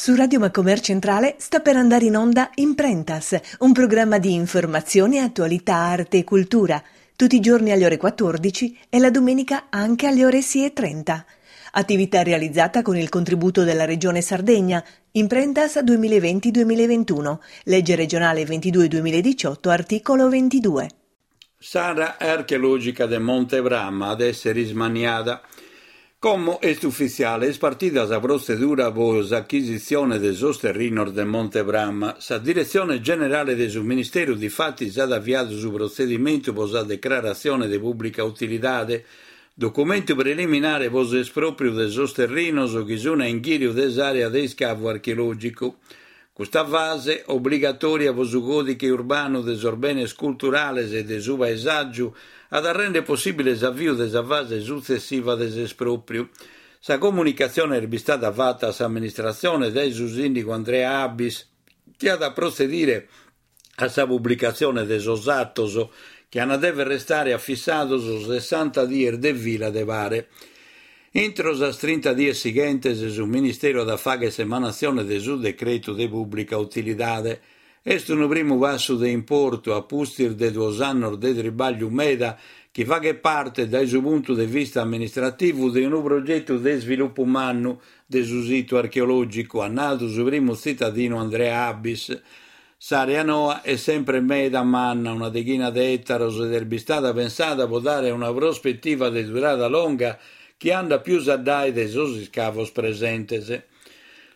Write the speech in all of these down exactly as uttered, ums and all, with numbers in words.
Su Radio Macomer Centrale sta per andare in onda Imprentas, un programma di informazione, attualità, arte e cultura, tutti i giorni alle ore quattordici e la domenica anche alle ore sei e trenta. Attività realizzata con il contributo della Regione Sardegna, Imprentas duemilaventi duemilaventuno, legge regionale ventidue duemiladiciotto, articolo ventidue. S'area archeològica de Monte Prama at èssere ismanniada. Como est ufitziale, est partida sa protzedura pro s'achisitzione de sos terrinos de Monte Prama. Sa Diretzione Generale de su Ministeru difatis at aviadu su protzedimentu pro sa decraratzione de pùblica utilidade, documentu preliminare pro s'espròpriu de sos terrinos chi sunt a inghìriu de s'àrea de iscavu archeològicu. Custa fase, obligatòria pro su còdighe urbanu de sos benes culturales e de su paesàgiu, at a rèndere possìbile s'aviu de sa fase sutzessiva de s'espròpriu. Sa comunicatzione est bistada fata a s'amministratzione dae su sìndigu Andrea Abis, chi at a protzedire a sa publicatzione de sos atos chi ant a dèvere restare afissados sessanta dies de fila de pare. Intro sas trinta dies sighentes su Ministeru at a fàghere s'emanatzione de su decretu de pùblica utilidade. Est unu primu passu de importu a pustis de duos annos de tribàgliu meda chi faghet parte dae su puntu de vista amministrativu de unu progetu de isvilupu mannu de su situ archeològicu, at nadu su primu tzitadinu Andrea Abis. S'àrea noa est sempre meda manna, una deghina de ètaros, ed est bistada pensada pro dare una prospetiva de durada longa chi andat pius addae de sos iscavos presentes.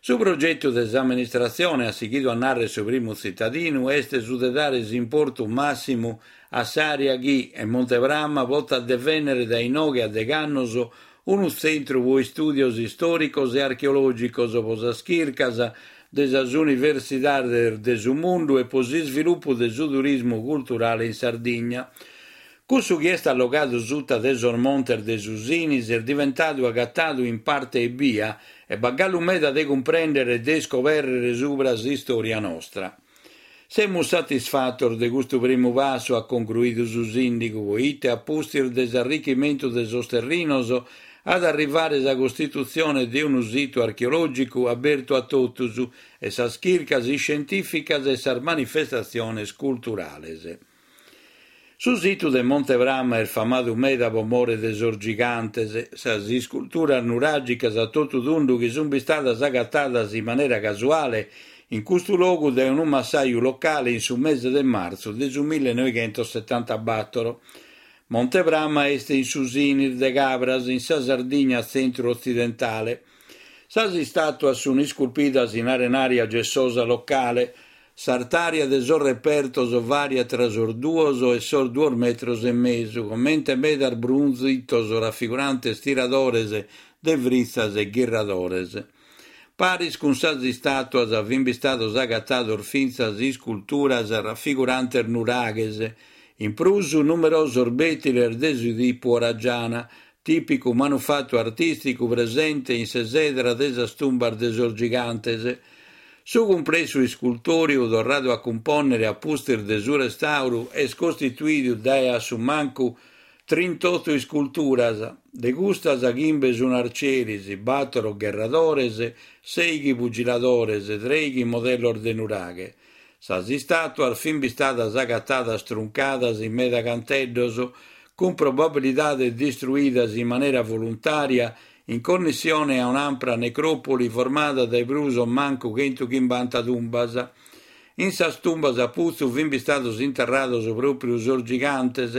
Su progetu de s'amministratzione, at sighidu a nàrrere su primu tzitadinu, est su de dare s'importu màssimu a s'àrea chi, e Monte Prama, potat devènnere dae inoghe a deg'annos unu tzentru pro istùdios istòricos e archeològicos, pro sas chircas de sas universidades de su mundu e pro s'isvilupu de su turismu culturale in Sardigna. Cussu chi est allogadu suta de sos montes de su Sinis est diventadu agatadu in parte ebbia e b'at galu meda de cumprèndere e de iscobèrrere subra s'istòria nostra. Semus satisfatos de custu primu passu, at concruidu su sìndigu, poite a pustis de s'arrichimentu de sos terrinos at a arrivare sa costitutzione de unu situ archeològicu abertu a totus e sas chircas iscientìficas e sas manifestatziones culturales. Su situ de Monte Prama est famadu meda pro more de sos gigantes, sas isculturas nuràgicas a totu tundu chi sunt bistadas agatadas in manera casuale in custu logu dae unu massaju locale in su mese de martzu de su millenovighentosettantabattor. Monte Prama est in su Sinis de Cabras, in sa Sardigna tzentru-otzidentale. Sas istàtuas sunt isculpidas in arenària gessosa locale. S'artària de sos repertos vàriat tra sos duos e sos duos metros e mesu, comente medas brunzitos rafigurantes tiradores de fritzas e ghirradores. Paris cun sas istàtuas fin bistados agatados fintzas isculturas rafigurantes nuraghes, in prus numerosos bètiles de su tipu oragiana, tìpicu manufatu artìsticu presente in s'esedra de sas tumbas de sos gigantes. Su cumplessu iscultòriu, torradu a cumpònnere a pustis de su restàuru, est costituidu dae a su mancu trintotto isculturas, de custas chimbe sunt arcieris, battoro gherradores, sèighi pugiladores, trèighi modellos de nuraghe. Sas istàtuas fin bistadas agatadas truncadas in meda canteddos, cun probabilidade distruidas in manera voluntària in connessione a un'ampra necròpoli formada dae prus o mancu chentuchimbanta tumbas. In sas tumbas a putzu fin bistados interrados pròpiu sos gigantes,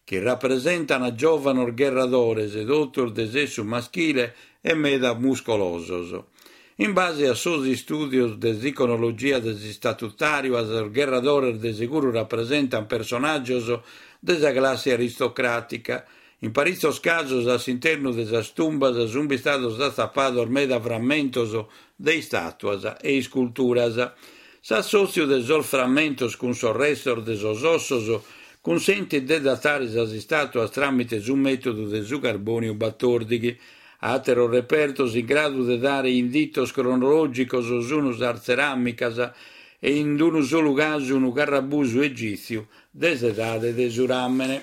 chi rapresentant giòvanos gherradores, totus de sessu maschile e meda muscolosos. In base a sos istùdios de s'iconologia de s'istatutàriu, sos gherradores de seguru rapresentant personàgios de sa classe aristocràtica. In paritzos casos, a s'internu de sas tumbas sunt bistados atzapados meda frammentos de istàtuas e isculturas. S'assòtziu de sos frammentos cun sos restos de sos ossos cunsentit de datare sas istàtuas tràmite su mètodu de su carbòniu batòrdighi. Àteros repertos in gradu de dare inditos cronològicos sunt sas tzeràmicas e in unu solu casu unu carrabusu egìtziu de s'edade de su ràmene.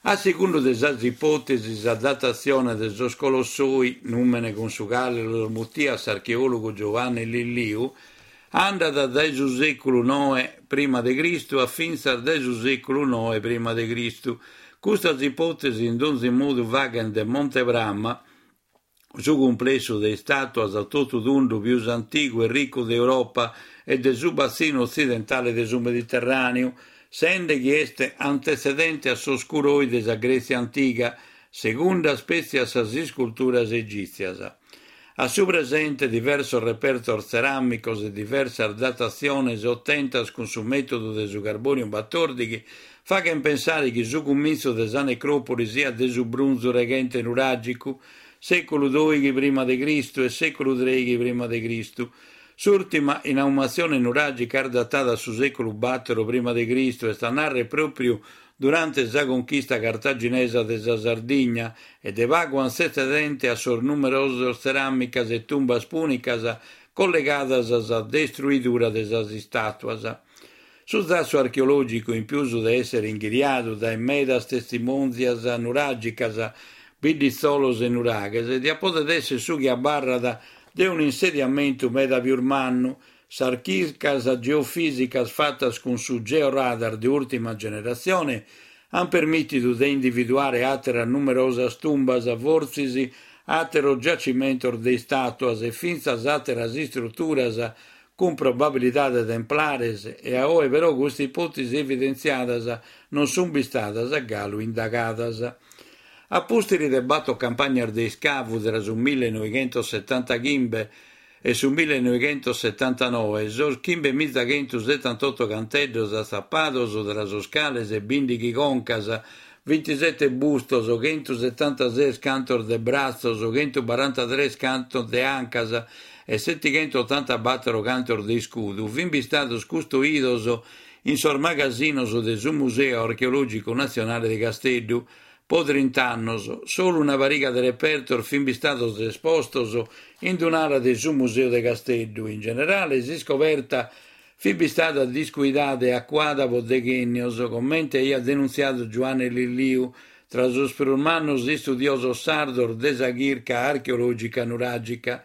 A segundu de sas ipòtesis, sa datatzione de sos Colossoi, nùmene cun su cale los mutiat s'archeòlogu Giovanni Lilliu, andat dae su sèculu noe prima de Cristu a fintzas dae su sèculu noe prima de Cristu. Custas ipòtesis in donzi modu faghent de Monte Prama su cumplessu de istàtuas a totu tundu pius antigu e ricu de Europa e de su batzinu otzidentale de su Mediterràneu, sende chi est antetzedente a sos kouroi de sa Grètzia antiga, segundas petzi a sas isculturas egìtzias. A su presente diversos repertos tzeràmicos e diversas datatziones otentas cun su mètodu de su carbòniu batòrdighi faghent pensare chi su cumintzu de sa necròpoli siat de su brunzu reghente nuràgicu, sèculu dòighi prima de Cristu e sèculu trèighi prima de Cristu. S'ùrtima inaumatzione nuràgica est datada a su sèculu bàtoro prima de Cristu, est a nàrrere pròpiu durante sa conchista cartaginesa de sa Sardigna e de pagu antzetzedente a sos numerosos tzeràmicas e tumbas pùnicas collegadas a sa destruidura de sas istàtuas. Su zassu archeològicu, in pius de èssere inghiriadu dae medas testimòntzias nuràgicas, bidditzolos e nuraghes, diat poder èssere su chi abarrat de un'insediamentu meda pius mannu. Sas chircas geofìsicas fatas cun su georadar de ùrtima generatzione ant permìtidu de individuare àteras numerosas tumbas, fortzis àteros giacimentos de istàtuas e fintzas àteras istruturas cun probabilidade templares e a oe però custas ipòtesis evidentziadas non sunt bistadas galu indagadas. A pustis de bator campagnas de iscavu tra su millenoighentosetantachimbe e su millenoighentosetantanoe, sos chimbemizachentusetantoto canteddos atzapados, tra sos cales bìndighi concas, bintisete bustos, chentusetantases cantos de bratzos, chentubarantatres cantos de ancas e setighentuotantabator cantos de iscudu, fin bistados custoidos in sos magasinos de su Museu Archeològicu Natzionale de Casteddu. Po trint'annos, solu una pariga de repertos fin bistados espostos in un'ala de su Museu de Casteddu. In generale, s'iscoberta fit bistada discuidada e acuada pro deghènnios, comente aiat denuntziadu Giuanne Lilliu, tra sos prus mannos istudiosos sardos de sa chirca archeològica nuràgica.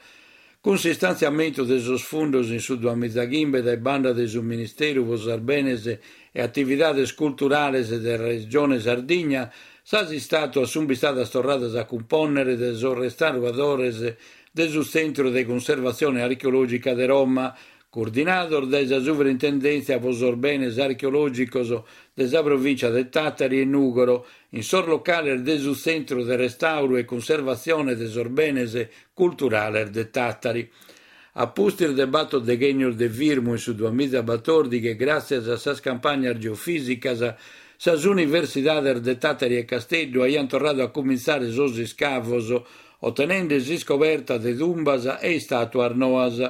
Cun s'istantziamentu de sos fundos in su duamizachimbe dae banda de su Ministeru pro sos Benes e Atividades Culturales de Regione Sardigna, sas istàtuas sunt bistadas torradas a cumpònnere dae sos restauradores de su Tzentru de Cunservatzione Archeològica de Roma, coordinados dae sa Suvrintendèntzia pro sos Benes Archeològicos de sa Provìntzia de Tàtari e Nùgoro, in sos locales de su Tzentru de Restàuru e Cunservatzione de sos Benes Culturales de Tàtari. A pustis de bator deghènnios de firmu in su duamizabatòrdighi, gràtzias a sas campagnas geofìsicas, sas universidades de Tàtari e Casteddu aiant torradu a cumintzare sos iscavos, otenende s'iscoberta de tumbas e istàtuas noas.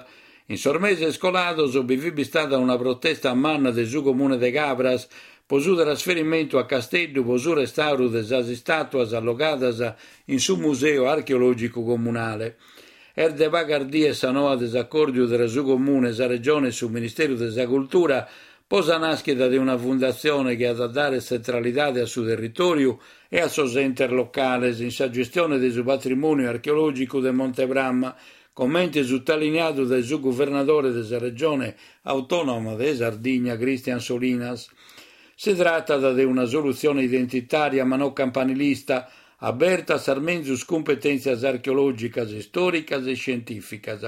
In sos meses colados bi fit bistada una protesta manna de su Comune de Cabras pro su trasferimentu a Casteddu pro su restàuru de sas istàtuas allogadas in su Museu Archeològicu Comunale. Est de pagas dies sa noa de s'acòrdiu tra su Comune, sa Regione e su Ministeru de sa Cultura pro sa nàschida de una fundatzione chi at a dare tzentralidade a su territòriu e a sos entes locales in sa gestione de su patrimòniu archeològicu de Monte Prama, comente sutaliniadu dae su guvernadore de sa Regione Autònoma de Sardigna, Christian Solinas. Si tratat de una solutzione identitària ma non campanilista, aberta a sas menzus cumpetèntzias archeològicas, istòricas e iscientìficas.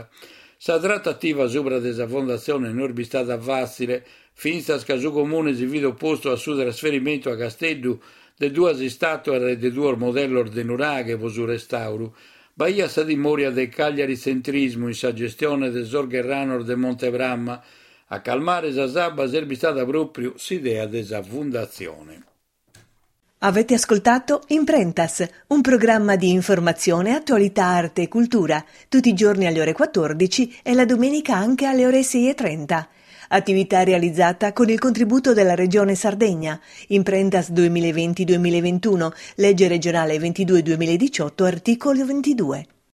Sa tratativa subra de sa fondatzione no est bistada fàtzile, fintzas ca su Comune si fit opostu a su trasferimentu a Casteddu de duas istàtuas e de duos modellos de nuraghe pro su restàuru. B'aiat sa timòria de cagliaritzentrismu in sa gestione de sos gherranos de Monte Prama. A calmare sas abbas est bistada pròpiu s'idea de sa fondatzione. Avete ascoltato Imprentas, un programma di informazione, attualità, arte e cultura, tutti i giorni alle ore quattordici e la domenica anche alle ore sei e trenta. Attività realizzata con il contributo della Regione Sardegna. Imprentas duemilaventi duemilaventuno, legge regionale ventidue duemiladiciotto, articolo ventidue.